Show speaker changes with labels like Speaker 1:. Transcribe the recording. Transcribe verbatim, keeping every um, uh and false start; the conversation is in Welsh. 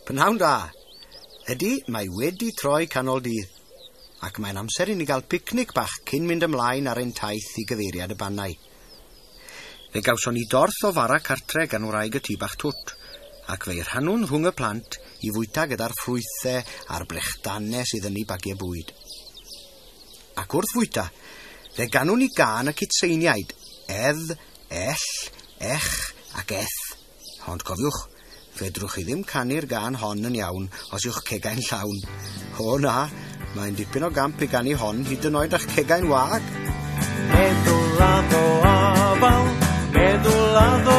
Speaker 1: Pnawn da. Ydy, mae wedi troi canol dydd, ac mae'n amser i ni gael picnic bach cyn mynd ymlaen ar ein taith i gyfeiriad y Bannau. Fe gawson ni dorth o fara cartre gan wraig y tŷ bach twt, ac fe'i rhannwn rhwng y plant i fwyta gyda'r ffrwythau a'r brechdanau sydd yn eu bagiau bwyd. Ac wrth fwyta, fe ganwn ni gân y cytseiniaid, edd, ell, ech ac eth. Ond cofiwch, fedrwch chi ddim canu'r gân hon yn iawn os yw'ch cegau'n llawn. O na, mae'n dipyn o gamp i ganu hon hyd yn oed â'ch cegau'n wag.
Speaker 2: Meddwl addo afal, meddwl addo